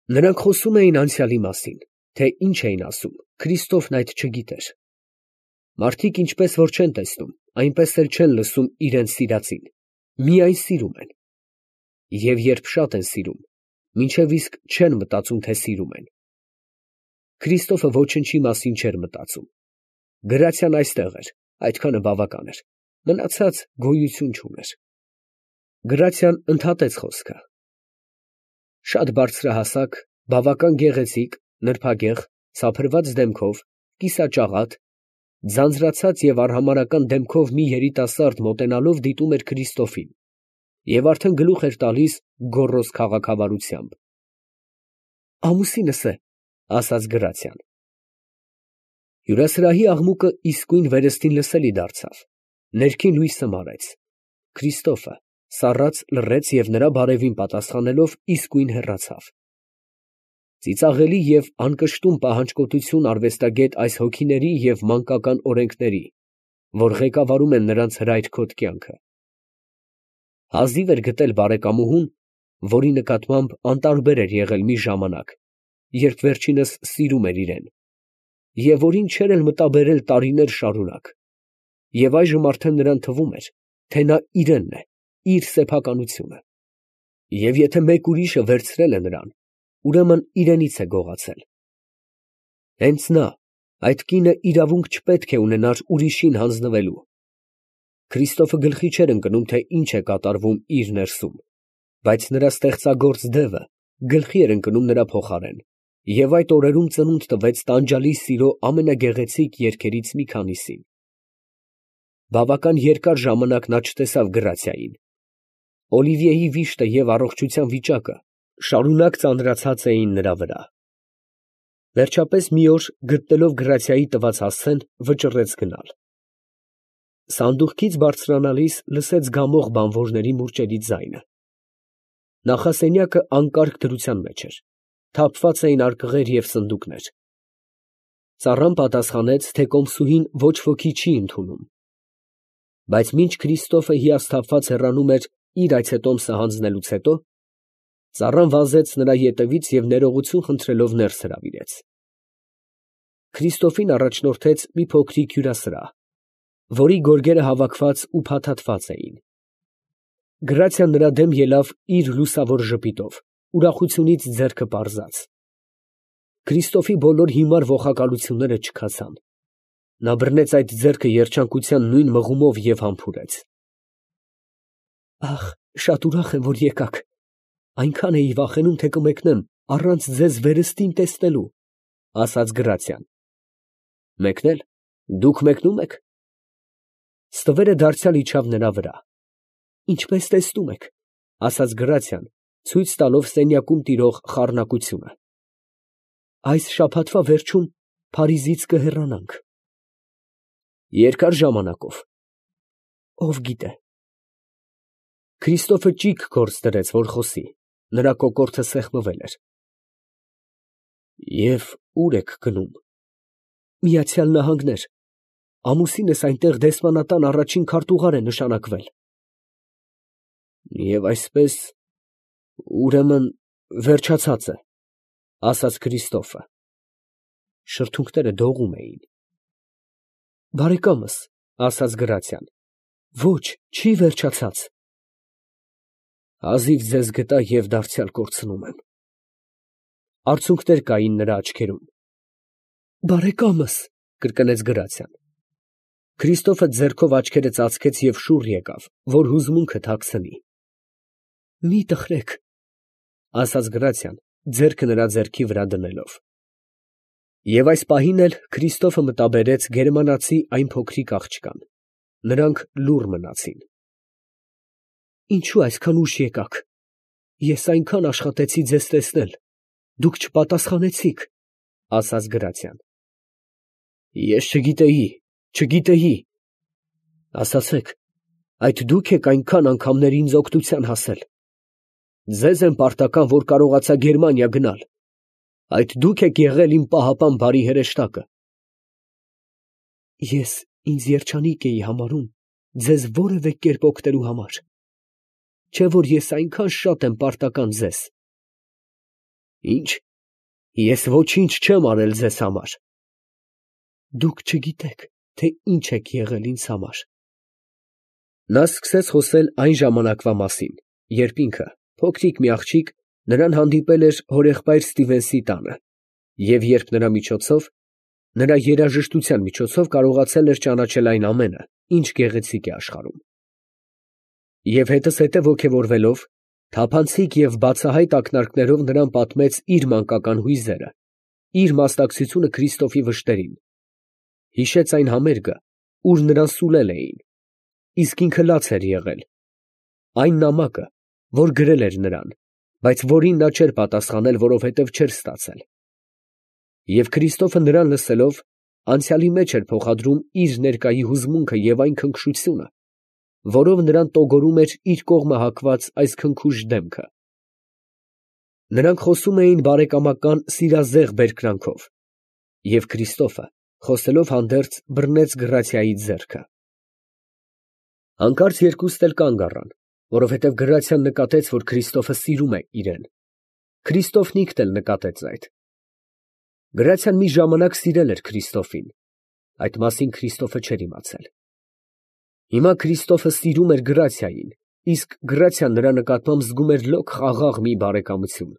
Նրանք խոսում էին անցյալի մասին, թե ինչ էին ասում, Քրիստոֆն այդ չգիտեր։ Մարդիկ ինչպես որ չեն տեսնում, այնպես էլ չեն լսում իրենց սիրածին, միայն սիրում են։ Եվ երբ շատ են սիրում, մինչև իսկ չեն մտածում, թե սիրում են։ Քրիստոֆը ոչնչի մասին չէր մտածում։ Գրացիան այստեղ էր, այդքանը բավական էր, մնացած գոյություն չուներ։ Գրացիան ընդհատեց խոսքը. շատ բարձրահասակ, բավական գեղեցիկ, նրբագեղ, սափրված դեմքով, կիսաճաղատ, ձանձրացած և արհամարհական դեմքով մի երիտասարդ մոտենալով դիտում էր Քրիստոֆին և արդեն գլուխ էր տալիս գոռոզ քաղաքավարությամբ։ «Ամուսինս է», ասաց գրացիան։ Հյուրասրահի աղմուկը իսկույն վերստին լսելի դարձավ, ներքին լույսը մարեց, Քրիստոֆը սառած լռեց և նրա բարևին պատասխանելով իսկույն հեռացավ։ Ծիծաղելի և անկշտում պահանջկոտություն արվեստագետ այս հոգիների և մանկական օրենքների, որ ղեկավարում են նրանց հրայր-քոթ կյանքը։ Հազիվ էր գտել բարեկամուհուն, որի նկատմամբ անտարբեր էր եղել մի ժամանակ, երբ վերջինս սիրում էր իրեն, և որին չէր էլ մտաբերել տարիներ շարունակ, և այժմ արդեն նրան թվում էր, թե նա իրենն է, իր սեփականությունը, և եթե մեկ ուրիշը վերցրել է նրան, ուրեմն իրենից է գողացել։ Հենց նա, այդ կինը, իրավունք չպետք է ունենար ուրիշին հանձնվելու։ Քրիստոֆը գլխի չէր ընկնում, թե ինչ է կատարվում իր ներսում, բայց նրա ստեղծագործ դևը գլխի էր ընկնում նրա փոխարեն, և այդ օրերում ծնունդ տվեց տանջալի սիրո ամենագեղեցիկ երգերից մի քանիսին։ Բավական երկար ժամանակ նա չտեսավ Գրացիային։ Օլիվիեի վիշտը և առողջության վիճակը շարունակ ծանրացած էին նրա վրա։ Վերջապես մի օր, գտնելով Գրացիայի տված հասցեն, վճռեց գնալ։ Սանդուղքից բարձրանալիս լսեց գամող բանվորների մուրճերի ձայնը։ Նախասենյակը անկարգ դրության մեջ էր, թափված էին արկղեր և սնդուկներ։ Ծառան պատասխանեց, թե կոմսուհին ոչ ոքի չի ընդունում։ Բայց մինչ Քրիստոֆը հիասթափված հեռանում էր իր այցետոմսը հանձնելուց հետո, ծառան վազեց նրա ետևից և ներողություն խնդրելով ներս հրավիրեց։ Քրիստոֆին առաջնորդեց մի փոքրիկ հյուրասրահ, որի գորգերը հավաքված ու փաթաթված էին։ Գրացիան նրա դեմ ելավ իր լուսավոր ժպիտով, ուրախությունից ձեռքը պարզած։ Քրիստոֆի բոլոր հիմար ոխակալությունները չքացան։ Նա բռնեց այդ ձեռքը երջանկության նույն մղումով և համբուրեց։ «Ախ, շատ ուրախ եմ, որ եկաք, այնքան էի վախենում, թե կմեկնեմ առանց ձեզ վերստին տեսնելու», ֊ ասաց Գրացիան։ «Մեկնել, դուք մեկնո՞ւմ եք»։ Ստվերը դարձյալ իջավ նրա վրա։ «Ինչպես տեսնում եք», ֊ ասաց Գրացիան, ցույց տալով սենյակում տիրող խառնակությունը։ «Այս շաբաթվա վերջում Փարիզից կհեռանանք»։ «Երկար ժամանակով»։ «Ով գիտե»։ Քրիստոֆը ճիգ գործ դրեց, որ խոսի, նրա կոկորդը սեղմվել էր։ «Եվ ո՞ւր եք գնում»։ «Միացյալ Նահանգներ, ամուսինս այնտեղ դեսպանատան առաջին քարտուղար է նշանակվել»։ «Եվ այսպես, ուրեմն, վերջացած է», ֊ ասաց Քրիստոֆը։ Շրթունքները դողում էին։ «Բարեկամս», ֊ ասաց Գրացիան, «ոչ, չի վերջացած»։ «Հազիվ ձեզ գտա և դարձյալ կորցնում եմ»։ Արցունքներ կային նրա աչքերում։ «Բարեկամս», ֊ կրկնեց Գրացիան։ Քրիստոֆը ձեռքով աչքերը ծածկեց և շուռ եկավ, որ հուզմունքը թաքցնի։ «Մի տխրեք», ֊ ասաց Գրացիան, ձեռքը նրա ձեռքի վրա դնելով։ Եվ այս պահին էլ Քրիստոֆը մտաբերեց գերմանացի այն փոքրիկ աղջկան։ Նրանք լուռ մնացին։ «Ինչո՞ւ այսքան ուշ եկաք։ Ես այնքան աշխատեցի ձեզ տեսնել, դուք չպատասխանեցիք», ֊ ասաց Գրացիան։ «Ես չգիտեի։ Ասացեք, այդ դու՞ք եք այնքան անգամներ ինձ օգնության հասել։ Ձեզ եմ պարտական, որ կարողացա Գերմանիա գնալ։ Այդ դու՞ք եք եղել իմ պահապան բարի հրեշտակը»։ «Ես ինձ երջանիկ էի համարում ձեզ որևէ կերպ օգնելու համար, չէ՞ որ ես այնքան շատ եմ պարտական ձեզ»։ Ինչ, ես ոչինչ չեմ արել ձեզ համար։ Դուք չգիտեք, թե ինչ եք եղել ինձ համար։ Նա սկսեց խոսել այն ժամանակվա մասին, երբ ինքը, փոքրիկ մի աղջիկ, նրան հանդիպել էր հորեղբայր Ստիվենսի տանը, և երբ նրա երաժշտության միջոցով կարողացել էր ճանաչել այն ամենը, ինչ գեղեցիկ է աշխարհում։ Եվ հետզհետե ոգևորվելով, թափանցիկ և բացահայտ ակնարկներով նրան պատմեց իր մանկական հույզերը, իր մասնակցությունը Քրիստոֆի վշտերին, հիշեց այն համերգը, ուր նրան սուլել էին, իսկ ինքը լաց էր եղել, այն նամակը, որ գրել էր նրան, բայց որին նա չէր պատասխանել, որովհետև չէր ստացել։ Եվ Քրիստոֆը նրան լսելով, անցյալի մեջ էր փոխադրում իր ներկայի հուզմունքը և այն քնքշությունը, որով նրան տոգորում էր իր կողմը հակված այս քնքուշ դեմքը։ Նրանք խոսում էին բարեկամական սիրազեղ բերկրանքով, և Քրիստոֆը, խոսելով հանդերձ, բռնեց Գրացիայի ձեռքը։ Հանկարծ երկուստ էլ կանգ առան, որովհետև Գրացիան նկատեց, որ Քրիստոֆը սիրում է իրեն։ Քրիստոֆն ինքն էլ նկատեց այդ։ Գրացիան մի ժամանակ սիրել էր Քրիստոֆին, այդ մասին Քրիստոֆը չէր իմացել։ Հիմա Քրիստոֆը սիրում էր Գրացիային, իսկ Գրացիան նրա նկատմամբ զգում էր լոկ խաղաղ մի բարեկամություն։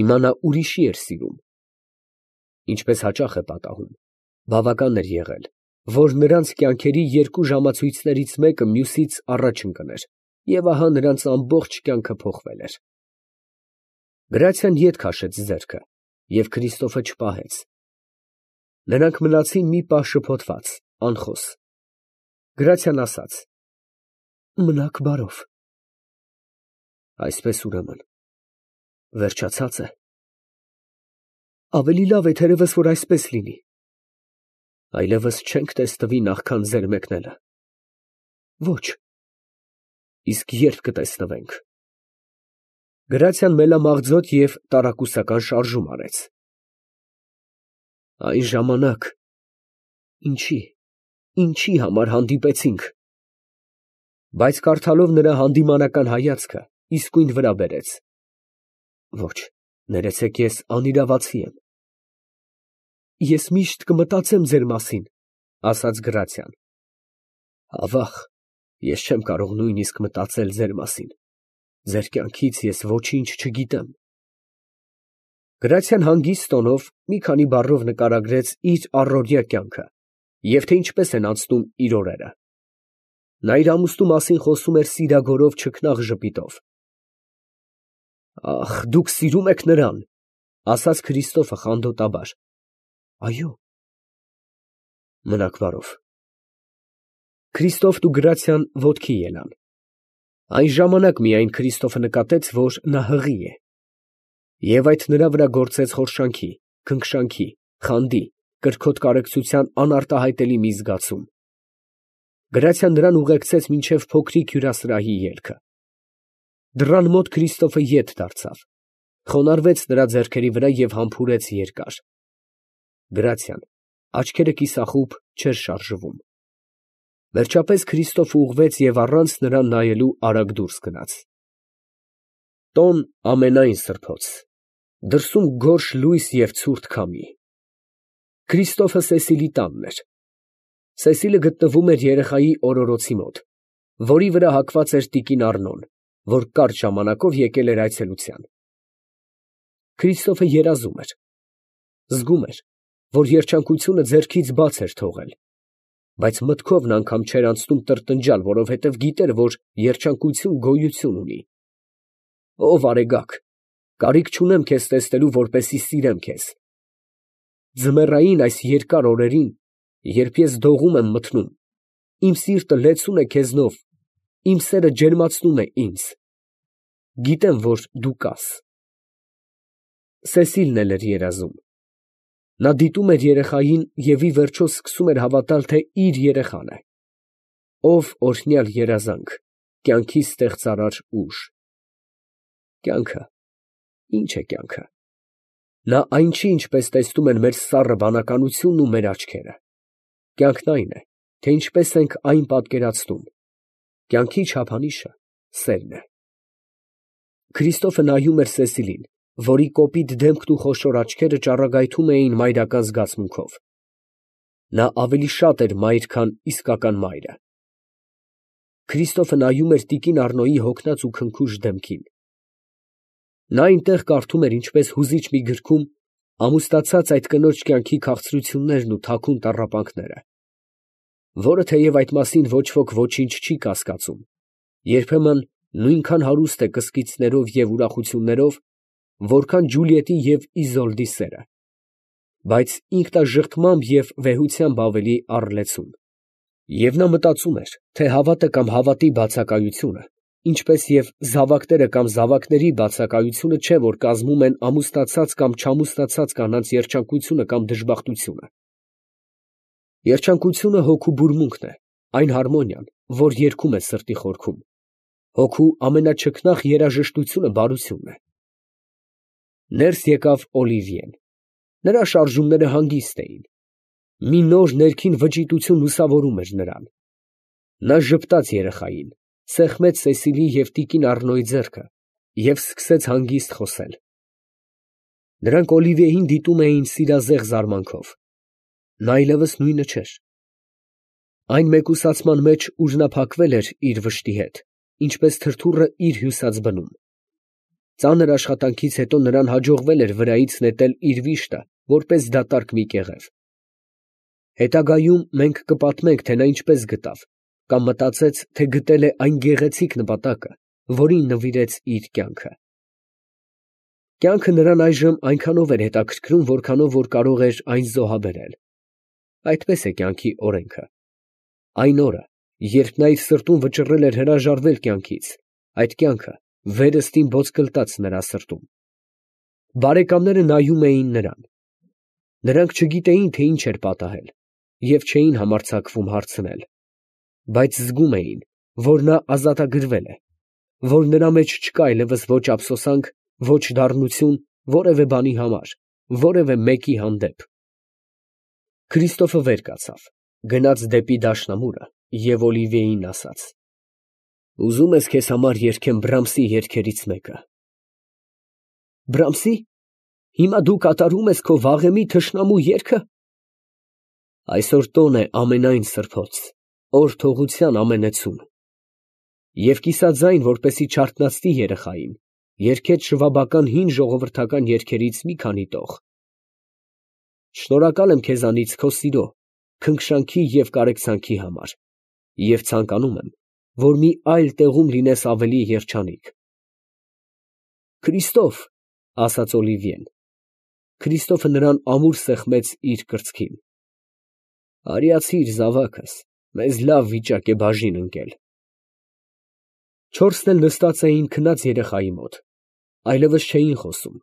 Հիմա նա ուրիշի էր սիրում։ Ինչպես հաճախ է պատահում, բավական էր եղել, որ նրանց կյանքերի երկու ժամացույցներից մեկը մյուսից առաջ ընկներ, և ահա նրանց ամբողջ կյանքը փոխվել էր։ Գրացիան ետ քաշեց ձեռքը, և Քրիստոֆը չպահեց։ Նրանք մնացին մի պահ շփոթված, անխոս։ Գրացիան ասաց. «Մնաք բարով»։ Այսպես ուրեմն վերջացած է։ Ավելի լավ է թերևս, որ այսպես լինի։ Այլևս չենք տեսնվի նախքան ձեր մեկնելը։ Ոչ։ Իսկ երբ կտեսնվենք։ Գրացիան մելամաղձոտ և տարակուսական շարժում արեց։ Այն ժամանակ ինչի համար հանդիպեցինք։ Բայց կարդալով նրա հանդիմանական հայացքը, իսկույն վրա բերեց։ Ոչ, ներեցեք, ես անիրավացի եմ։ Ես միշտ կմտածեմ ձեր մասին, ասաց Գրացիան։ Ավաղ, ես չեմ կարող նույնիսկ մտածել ձեր մասին։ Ձեր կյանքից ես ոչինչ չգիտեմ։ Գրացիան հանգիստ տոնով մի քանի բառով նկարագրեց իր առօրյա կյանքը և թե ինչպես են անցնում իր օրերը։ Նա իր ամուսնու մասին խոսում էր սիրագորով չքնաղ ժպիտով։ Ախ, դուք սիրում եք նրան, ասաց Քրիստոֆը խանդոտաբար։ Այո։ Մնաք բարով։ Քրիստոֆն ու Գրացիան ոտքի ելան։ Այն ժամանակ միայն Քրիստոֆը նկատեց, որ նա հղի է, և այդ նրա վրա գործեց խորշանքի, քնքշանքի, խանդի, կրքոտ կարեկցության անարտահայտելի մի զգացում։ Գրացիան նրան ուղեկցեց մինչև փոքրիկ հյուրասրահի ելքը։ Դռան մոտ Քրիստոֆը ետ դարձավ, խոնարհվեց նրա ձեռքերի վրա և համբուրեց երկար։ Գրացիան, աչքերը կիսախուբ, չէր շարժվում։ Վերջապես Քրիստոֆը ուղղվեց և առանց նրան նայելու արագ դուրս գնաց։ Տոն ամենայն սրբոց, դրսում գորշ լույս և ցուրտ քամի։ Քրիստոֆը Սեսիլի տանն էր։ Սեսիլը գտնվում էր երեխայի օրորոցի մոտ, որի վրա հագված էր տիկին Առնոն, որ կարճ ժամանակով եկել էր այցելության։ Քրիստոֆը երազում էր։ Զգում էր, որ երջանկությունը ձեռքից բաց էր թողել, բայց մտքով նա անգամ չէր անցնում տրտնջալ, որովհետև գիտեր, որ երջանկություն գոյություն ունի։ Ով արեգակ, կարիք չունեմ քեզ տեսնելու, որպեսզի սիրեմ քեզ։ Ձմեռային այս երկար օրերին, երբ ես դողում եմ մթնում, իմ սիրտը լեցուն է քեզնով, իմ սերը ջերմացնում է ինձ։ Գիտեմ, որ դու կաս։ Սեսիլն էլ էր երազում։ Նա դիտում էր երեխային և ի վերջո սկսում էր հավատալ, թե իր երեխան է։ Ով օրհնյալ երազանք, կյանքի ստեղծարար ուժ։ Կյանքը, ի՞նչ է կյանքը։ Նա այն չի, ինչպես տեսնում են մեր սառը բանականությունն ու մեր աչքերը։ Կյանքն այն է, թե ինչպես ենք այն պատկերացնում։ Կյանքի չափանիշը սերն է։ Քրիստոֆը նայում էր Սեսիլին, որի կոպիտ դեմքն ու խոշոր աչքերը ճառագայթում էին մայրական զգացմունքով։ Նա ավելի շատ էր մայր, քան իսկական մայրը։ Քրիստոֆը նայում էր տիկին Առնոյի հոգնած ու քնքուշ դեմքին։ Նա այնտեղ կարդում էր ինչպես հուզիչ մի գրքում ամուսնացած այդ կնոջ կյանքի քաղցրություններն ու թաքուն տառապանքները, որը թեև այդ մասին ոչ ոք ոչինչ չի կասկածում, երբեմն նույնքան հարուստ է կսկիծներով և ուրախություններով, որքան Ջուլիետի և Իզոլդի սերը, բայց ինքնաժխտմամբ և վեհությամբ ավելի առլեցուն։ Եվ նա մտածում էր, թե հավատը կամ հավատի բացակայությունը, ինչպես և զավակները կամ զավակների բացակայությունը չէ, որ կազմում են ամուսնացած կամ չամուսնացած կանանց երջանկությունը կամ դժբախտությունը։ Երջանկությունը հոգու բուրմունքն է, այն հարմոնիան, որ երգում է սրտի խորքում։ Հոգու ամենաչքնաղ երաժշտությունը բարությունն է։ Ներս եկավ Օլիվիեն։ Նրա շարժումները հանգիստ էին։ Մի նոր ներքին վճիտություն լուսավորում էր նրան։ Նա ժպտաց երեխային, սեղմեց Սեսիլի և տիկին Առնոյի ձեռքը և սկսեց հանգիստ խոսել։ Նրանք Օլիվիեին դիտում էին սիրազեղ զարմանքով։ Նա այլևս նույնը չէր։ Այն մեկուսացման մեջ, ուր նա փակվել էր իր վշտի հետ, ինչպես թրթուրը իր հյուսած բնում։ Ծանր աշխատանքից հետո նրան հաջողվել էր վրայից նետել իր վիշտը, որպես դատարկ մի կեղև։ Հետագայում մենք կպատմենք, թե նա ինչպես գտավ, կամ մտածեց, թե գտել է այն գեղեցիկ նպատակը, որին նվիրեց իր կյանքը։ Կյանքը նրան այժմ այնքանով էր հետաքրքրում, որքանով որ կարող էր այն զոհաբերել։ Այդպես է կյանքի օրենքը։ Այն օրը, երբ նա իր սրտում վճռել էր հրաժարվել կյանքից, այդ կյանքը վերստին ոսկլտաց նրա սրտում։ Բարեկամները նայում էին նրան։ Նրանք չգիտեին, թե ինչ էր պատահել և չէին համարձակվում հարցնել, բայց զգում էին, որ նա ազատագրվել է, որ նրա մեջ չկա այլևս ոչ ափսոսանք, ոչ դառնություն որևէ բանի համար, որևէ մեկի հանդեպ։ Քրիստոֆը վեր կացավ, գնաց դեպի դաշնամուրը և Օլիվիեին ասաց. «Ուզում ես քեզ համար երգեմ Բրամսի երգերից մեկը»։ Բրամսի՞։ Հիմա դու կատարում ես քո վաղեմի թշնամու երգը։ Այսօր տոն է ամենայն սրբոց, օր թողության ամենեցուն։ Եվ կիսաձայն, որպեսզի չարթնացնի երեխային, երգեց շվաբական հին ժողովրդական երգերից մի քանի տող։ Շնորհակալ եմ քեզանից քո սիրո, քնքշանքի և կարեկցանքի համար և ցանկանում եմ, որ մի այլ տեղում լինես ավելի երջանիկ։ Քրիստո՛ֆ, ֊ ասաց Օլիվիեն։ Քրիստոֆը նրան ամուր սեղմեց իր կրծքին։ Արիացի՛ր, զավակս, մեզ լավ վիճակ է բաժին ընկել։ Չորսն էլ նստած էին քնած երեխայի մոտ, այլևս չէին խոսում,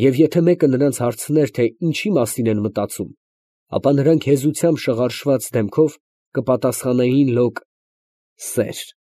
և եթե մեկը նրանց հարցներ, թե ինչի մասին են մտածում, ապա նրանք հեզությամբ շղարշված դեմքով կպատասխանեին լոկ. «Սեր»։